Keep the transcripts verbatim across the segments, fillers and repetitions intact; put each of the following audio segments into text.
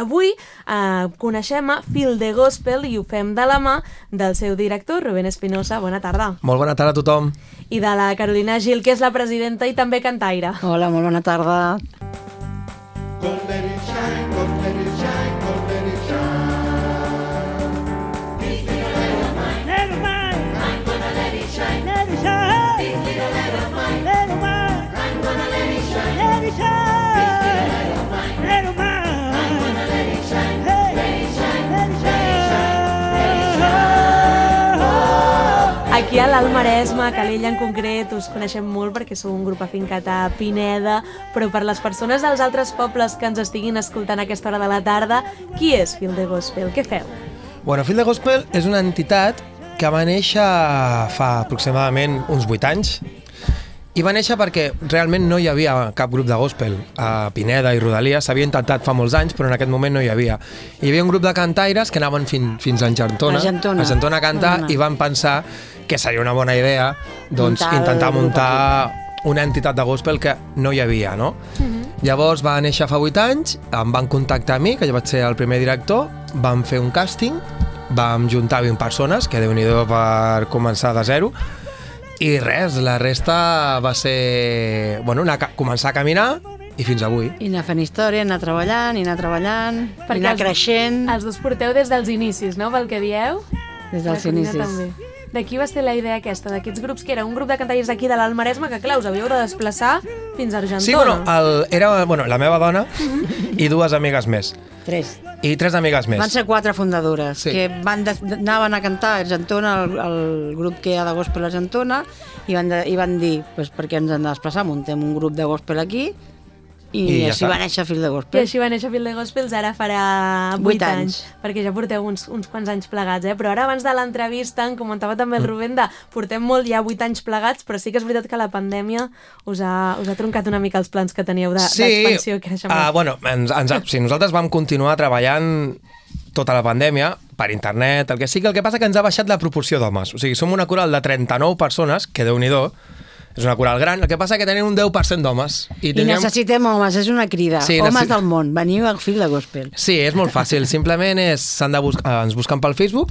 Avui eh, coneixem a Fil de Gospel i ho fem de la mà del seu director, Rubén Espinosa. Bona tarda. Molt bona tarda a tothom. I de la Carolina Gil, que és la presidenta i també cantaire. Hola, molt bona tarda. Gonna let it shine, gonna let it shine, gonna let it shine. This little light of mine, light of mine, I'm gonna let it shine, let it shine. This little light of mine, light of mine, I'm gonna let it shine, let it shine. This little light of mine, light of mine, I'm gonna let it shine, hey, let it shine, let it shine, let it shine. Oh. Aquí a l'Alt Maresme, a Calella en concret, us coneixem molt perquè sou un grup afincat a Pineda, però per les persones dels altres pobles que ens estiguin escoltant a aquesta hora de la tarda, qui és Fil de Gospel? Què feu? Bueno, Fil de Gospel és una entitat que va néixer fa aproximadament uns vuit anys i va néixer perquè realment no hi havia cap grup de gospel a Pineda i Rodalia. S'havia intentat fa molts anys, però en aquest moment no hi havia. Hi havia un grup de cantaires que anaven fin, fins a Argentona, a Argentona. a Argentona a cantar Bona. i van pensar que seria una bona idea doncs, Muntar intentar el grup muntar una entitat de gospel que no hi havia, no? Uh-huh. Llavors va néixer fa vuit anys, em van contactar a mi, que jo vaig ser el primer director, vam fer un càsting, vam juntar vint persones, que déu-n'hi-do per començar de zero, i res, la resta va ser... Bueno, anar, començar a caminar i fins avui. I anar fent història, anar treballant, i anar treballant, Perquè i anar els- creixent Els dos porteu des dels inicis, no?, pel que dieu. des La dels Carolina inicis. també. D'aquí va ser la idea aquesta, d'aquests grups, que era un grup de cantaires aquí de l'Alt Maresme, que clar, us havíeu de desplaçar fins a Argentona. Sí, bueno, el, era bueno, la meva dona i dues amigues més. Tres. I tres amigues més. Van ser quatre fundadores, Sí. que van de, anaven a cantar a Argentona, el, el grup que hi ha de gospel a Argentona, i van, de, i van dir, pues, per què ens hem de desplaçar, muntem un grup de gospel aquí, i, I ja així està. va néixer Fil de I Gospel. així va néixer Fil de Gospels, ara farà vuit Vuit anys. anys. Perquè ja porteu uns, uns quants anys plegats, eh? Però ara, abans de l'entrevista, em comentava també Mm. el Rubén de portem molt ja vuit anys plegats, però sí que és veritat que la pandèmia us ha, us ha troncat una mica els plans que teníeu de- d'expansió i creixement. uh, bueno, ens, ens, sí, nosaltres vam continuar treballant tota la pandèmia per internet, el que sí que el que passa que ens ha baixat la proporció d'homes. O sigui, som una coral de trenta-nou persones, que déu-n'hi-do, és una coral gran, el que passa que tenim un deu per cent d'homes. I necessitem homes, és una crida. Sí, Homes necessit- del món, veniu al Fil de Gospel. Sí, és molt fàcil. Simplement és, s'han de bus ens busquen pel Facebook,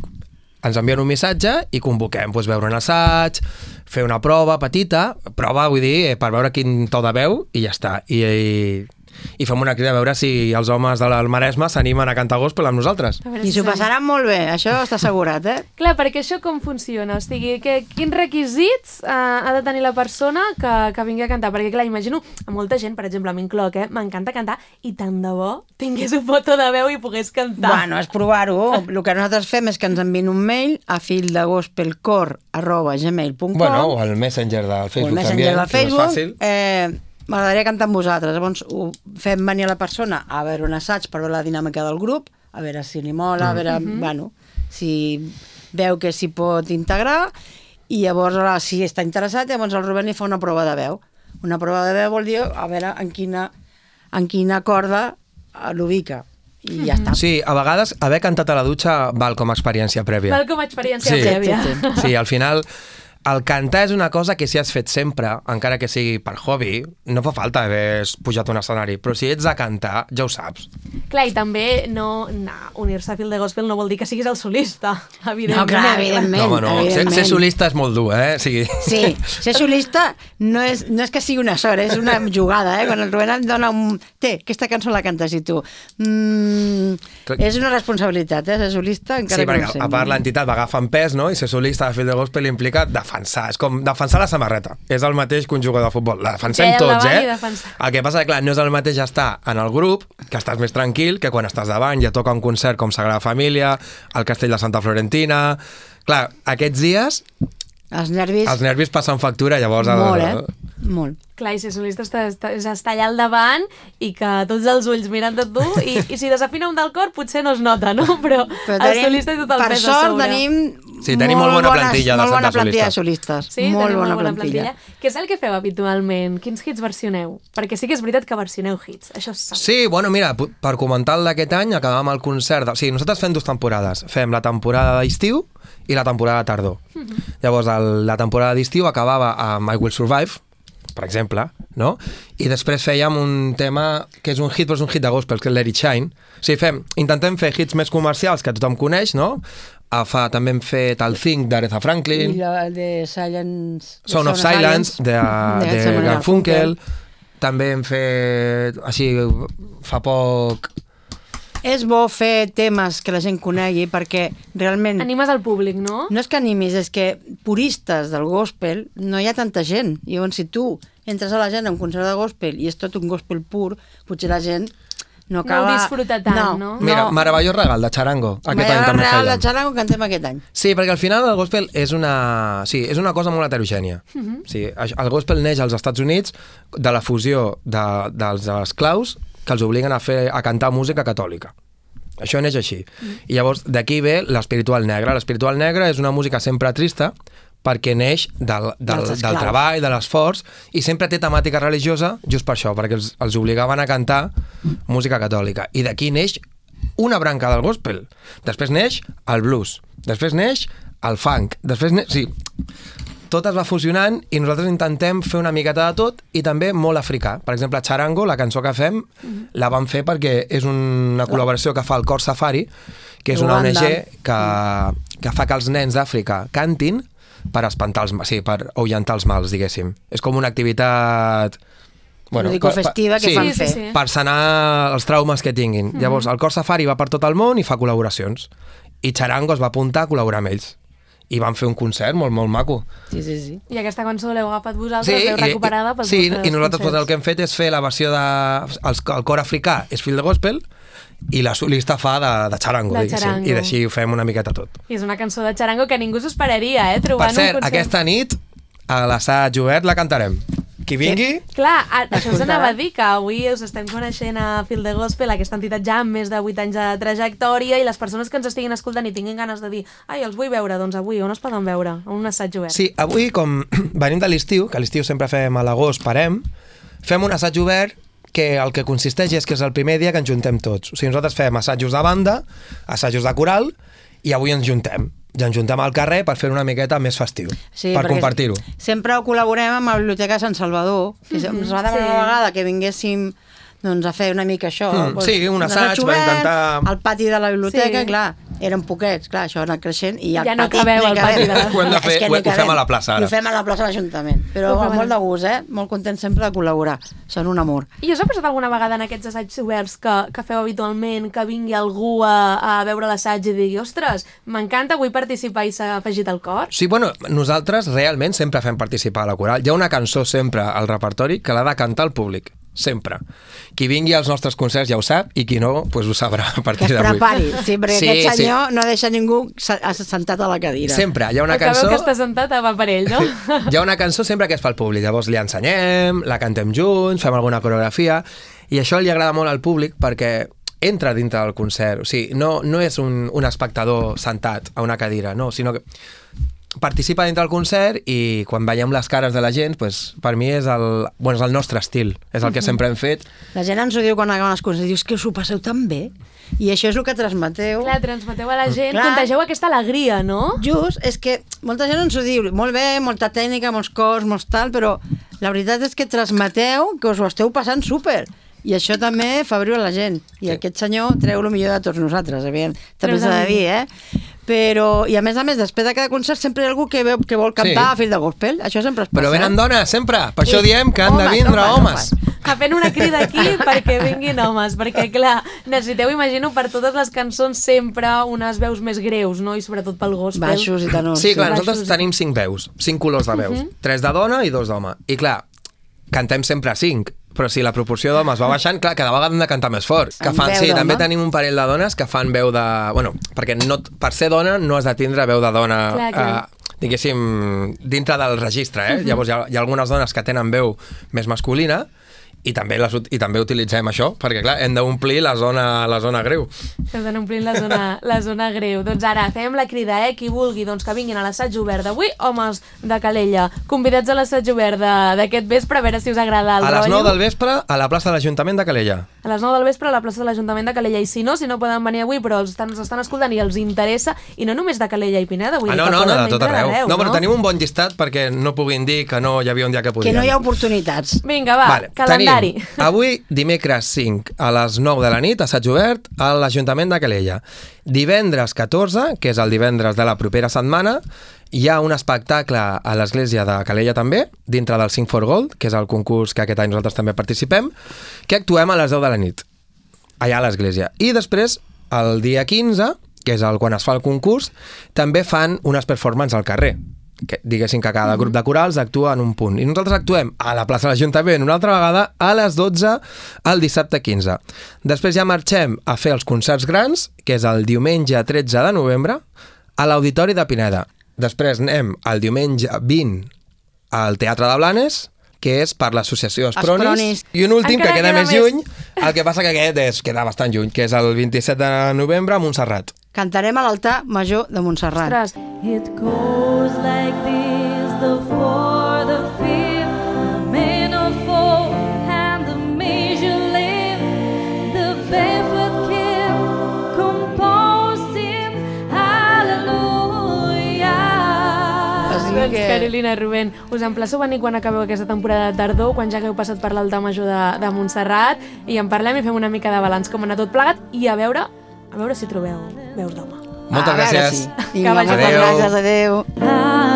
ens envien un missatge i convoquem doncs, veure un assaig, fer una prova petita, prova, vull dir, per veure quin to de veu i ja està. I, i, i fem una crida a veure si els homes de l'Alt Maresme s'animen a cantar gospel amb nosaltres. A veure I si s'ho s'anima. passaran molt bé, això està assegurat, eh? Clar, perquè això com funciona? O sigui, que, quins requisits eh, ha de tenir la persona que, que vingui a cantar? Perquè, clar, imagino a molta gent, per exemple, m'incloc, eh? M'encanta cantar i tant de bo tingués un foto de veu i pogués cantar. Bueno, és provar-ho. El que nosaltres fem és que ens envien un mail a fildegospelcor arroba gmail punt com Bueno, o el Messenger del o el Facebook Messenger també, del que és Facebook. fàcil. Eh, M'agradaria cantar amb vosaltres. Llavors ho fem venir a la persona a veure un assaig per veure la dinàmica del grup, a veure si li mola, a veure, bueno, si veu que s'hi pot integrar, i llavors, ara, si està interessat, llavors el Rubén li fa una prova de veu. Una prova de veu vol dir a veure en quina, en quina corda eh, l'ubica. I ja està. Sí, a vegades haver cantat a la dutxa val com a experiència prèvia. Val com a experiència Sí. prèvia. Sí, sí, Sí, al final, el cantar és una cosa que si has fet sempre, encara que sigui per hobby, no fa falta haver pujat a un escenari, però si ets a cantar, ja ho saps. Clar, i també no, no, unir-se a Fil de Gospel no vol dir que siguis el solista, evidentment. No, clar, evidentment. No, home, no. Ser, evidentment. ser solista és molt dur, eh? O sigui... Sí, ser solista no és, no és que sigui una sort, és una jugada, eh? Quan el Rubén et dona un... Té, aquesta cançó la cantes i tu... Mm, és una responsabilitat, eh? Ser solista, encara Sí, que no perquè ho sé. a part l'entitat va agafant pes, no? I ser solista de Fil de Gospel implica defensar. És com defensar la samarreta. És el mateix que un jugador de futbol. La defensem Ja, ja, tots, davant eh? i defensar. El que passa que, clar, no és el mateix estar en el grup, que estàs més tranquil, que quan estàs davant ja toca un concert com Sagrada Família, el Castell de Santa Florentina... Clar, aquests dies Els nervis... els nervis passen factura, llavors... Molt, el... eh? Molt. Clar, i ser solista està, està, és estar allà al davant i que tots els ulls miren de tu i, i si desafina un del cor potser no es nota, no? Però, Però el tenim, solista i tot el per pes a sort sobre. tenim, Sí, tenim molt bona plantilla de molt bona Santa plantilla de solistes. solistes. Sí, molt tenim bona, molt bona plantilla. plantilla. Què és el que feu habitualment? Quins hits versioneu? Perquè sí que és veritat que versioneu hits, això es sap. Sí, bueno, mira, p- per comentar el d'aquest any, acabàvem el concert... De... O sigui, nosaltres fem dues temporades. Fem la temporada d'estiu i la temporada de tardor. Mhm. Llavors, el, la temporada d'estiu acabava amb I Will Survive, per exemple, no? I després fèiem un tema que és un hit, però és un hit de gospel, que és Let It Shine. O sigui, fem, intentem fer hits més comercials que tothom coneix, no? Uh, fa, també hem fet el Think d'Aretha Franklin, I la de Silence... de Sound of Silence de, de, de Simon Garfunkel. També hem fet, així, fa poc... És bo fer temes que la gent conegui perquè realment... Animes al públic, no? No és que animis, és que puristes del gospel no hi ha tanta gent. I llavors, si tu entres a la gent a un concert de gospel i és tot un gospel pur, potser la gent no acaba... No ho disfruta tant, no? no? Mira, Meravellós Regal, de Charango. Aquest any també Regal de fèiem. Charango cantem aquest any. Sí, perquè al final el gospel és una, sí, és una cosa molt heterogènia. Uh -huh. Sí, el gospel neix als Estats Units de la fusió de, dels esclaus que els obliguen a, fer, a cantar música catòlica. Això neix així. Mm. I llavors d'aquí ve l'espiritual negre. L'espiritual negre és una música sempre trista perquè neix del, del, del treball, de l'esforç, i sempre té temàtica religiosa just per això, perquè els, els obligaven a cantar música catòlica. I d'aquí neix una branca del gospel. Després neix el blues. Després neix el funk. Després neix... Sí, tot es va fusionant i nosaltres intentem fer una miqueta de tot i també molt africà. Per exemple, Charango, la cançó que fem, mm-hmm. la vam fer perquè és una col·laboració que fa el Cor Safari, que és una O N G que, que fa que els nens d'Àfrica cantin per espantar els, sí, per ahuyentar els mals, diguéssim. És com una activitat... Bueno, festiva que sí, fan fer. Sí, sí, sí. Per sanar els traumes que tinguin. Mm-hmm. Llavors, el Cor Safari va per tot el món i fa col·laboracions. I Charango es va apuntar a col·laborar amb ells. I van fer un concert molt, molt maco. Sí, sí, sí. I aquesta cançó l'heu agafat vosaltres, sí, l'heu recuperada pels sí, vostres i nosaltres concerts. pues, el que hem fet és fer la versió de... El, el cor africà és fill de gospel i la solista fa de, de charango, de diguéssim. charango. I d'així ho fem una miqueta tot. I és una cançó de charango que ningú s'ho esperaria, eh? Trobar Per cert, un concert. aquesta nit a l'assaig obert la cantarem. Qui vingui... Sí. Clar, a, això us anava a dir, que avui us estem coneixent a Fil de Gospel, aquesta entitat ja amb més de vuit anys de trajectòria, i les persones que ens estiguin escoltant i tinguin ganes de dir ai, els vull veure, doncs avui on es poden veure? A un assaig obert. Sí, avui, com venim de l'estiu, que a l'estiu sempre fem a l'agost, parem, fem un assaig obert que el que consisteix és que és el primer dia que ens juntem tots. O sigui, nosaltres fem assajos de banda, assajos de coral, i avui ens juntem. Ja ens juntem al carrer per fer una miqueta més festiu, sí, per compartir-ho. Sempre ho col·laborem amb la Biblioteca de Sant Salvador, que mm-hmm. ens va demanar sí. una vegada que vinguéssim doncs, a fer una mica això. Mm, doncs, sí, un assaig, obert, va intentar... al pati de la biblioteca, sí. clar, eren poquets, clar, això ha anat creixent, i al ja no pati... cabeu al pati de la... Ho hem de fer, ho, ho fem a la plaça, ara. I ho fem a la plaça de l'Ajuntament, però amb molt de gust, eh? Molt content sempre de col·laborar, són un amor. I us ha passat alguna vegada en aquests assaigs oberts que, que feu habitualment, que vingui algú a, a veure l'assaig i digui ostres, m'encanta, vull participar i s'ha afegit al cor? Sí, bueno, nosaltres realment sempre fem participar a la coral. Hi ha una cançó sempre al repertori que l'ha de cantar el públic. Sempre. Qui vingui als nostres concerts ja ho sap i qui no, pues ho sabrà a partir d'avui. Que es prepari, sí, perquè sí, aquest senyor sí. no deixa ningú sentat a la cadira. Sempre, hi ha una Acabeu cançó... que està sentat va per ell, no? Hi ha una cançó sempre que es fa al públic, llavors li ensenyem, la cantem junts, fem alguna coreografia, i això li agrada molt al públic perquè entra dintre del concert, o sigui, no, no és un, un espectador sentat a una cadira, no, sinó que participa dintre del concert i quan veiem les cares de la gent, pues, per mi és el, bueno, és el nostre estil, és el que sempre hem fet. La gent ens ho diu quan acaben les coses, dius que us ho passeu tan bé, i això és el que transmeteu. Clar, transmeteu a la gent, Clar. contegeu aquesta alegria, no? Just, és que molta gent ens ho diu, molt bé, molta tècnica, molts cors, molts tal, però la veritat és que transmeteu que us ho esteu passant súper. I això també fa viure la gent. I sí. aquest senyor treu el millor de tots nosaltres, evident. També s'ha de dir, eh? Però, i a més a més, després de cada concert sempre hi ha algú que, veu, que vol cantar sí. a Fill de Gospel. Això sempre es passa. Però venen dones, sempre. Per sí. això diem que han homes, de vindre homes. homes. A fent una crida aquí perquè vinguin homes, perquè, clar, necessiteu, imagino, per totes les cançons sempre unes veus més greus, no? I sobretot pel gospel. Baixos i tenors. Sí, clar, sí. nosaltres Baixos. tenim cinc veus, cinc colors de veus. Uh -huh. Tres de dona i dos d'home. I clar, cantem sempre cinc, però si la proporció d'homes va baixant, clar, cada vegada hem de cantar més fort. Que fan, sí, també tenim un parell de dones que fan veu de... Bueno, perquè no, per ser dona no has de tindre veu de dona... Clar, clar. Eh, diguéssim, dintre del registre, eh? Uh -huh. Llavors hi ha, hi ha algunes dones que tenen veu més masculina i també, les, i també utilitzem això, perquè clar, hem d'omplir la zona, la zona greu. Hem d'anar omplint la zona, la zona greu. Doncs ara fem la crida, eh? Qui vulgui doncs, que vinguin a l'assaig obert d'avui, homes de Calella, convidats a l'assaig obert d'aquest vespre, a veure si us agrada el A les rotllo. nou del vespre, a la plaça de l'Ajuntament de Calella. A les nou del vespre a la plaça de l'Ajuntament de Calella. I si no, si no poden venir avui, però els estan, els estan escoltant i els interessa, i no només de Calella i Pineda, vull Ah, dir no, que no, poden no, de tot vindre arreu. d'arreu, No, però tenim un bon llistat perquè no puguin dir que no hi havia un dia que podien. Que no hi ha oportunitats. Vinga, va, Vale, calendari. Tenim avui, dimecres cinc, a les nou de la nit, assaig obert a l'Ajuntament de Calella. Divendres catorze, que és el divendres de la propera setmana, hi ha un espectacle a l'església de Calella també, dintre del Sing for Gold, que és el concurs que aquest any nosaltres també participem, que actuem a les deu de la nit, allà a l'església. I després, el dia quinze, que és el quan es fa el concurs, també fan unes performances al carrer. Que, diguéssim que cada grup de corals actua en un punt. I nosaltres actuem a la plaça de l'Ajuntament una altra vegada a les dotze el dissabte quinze. Després ja marxem a fer els concerts grans, que és el diumenge tretze de novembre, a l'Auditori de Pineda. Després anem el diumenge vint al Teatre de Blanes, que és per l'associació Espronis. Espronis. I un últim Encara que queda queda més més. lluny, el que passa que aquest és, queda bastant lluny, que és el vint-i-set de novembre a Montserrat. Cantarem a l'altar major de Montserrat. Ostres, It goes like this, the fourth, the fifth, the minor four, and the major lift, the barefoot king, composing, hallelujah. O sigui doncs que- Carolina, Rubén, us emplaço a venir quan acabeu aquesta temporada de tardor, quan ja hagueu passat per l'altar major de, de Montserrat, i en parlem i fem una mica de balanç com ha anat tot plegat, i a veure, a veure si trobeu veus d'home. Moltes A veure gràcies. si. Vinga, vagi moltes bé. gràcies, adéu. Hallelujah.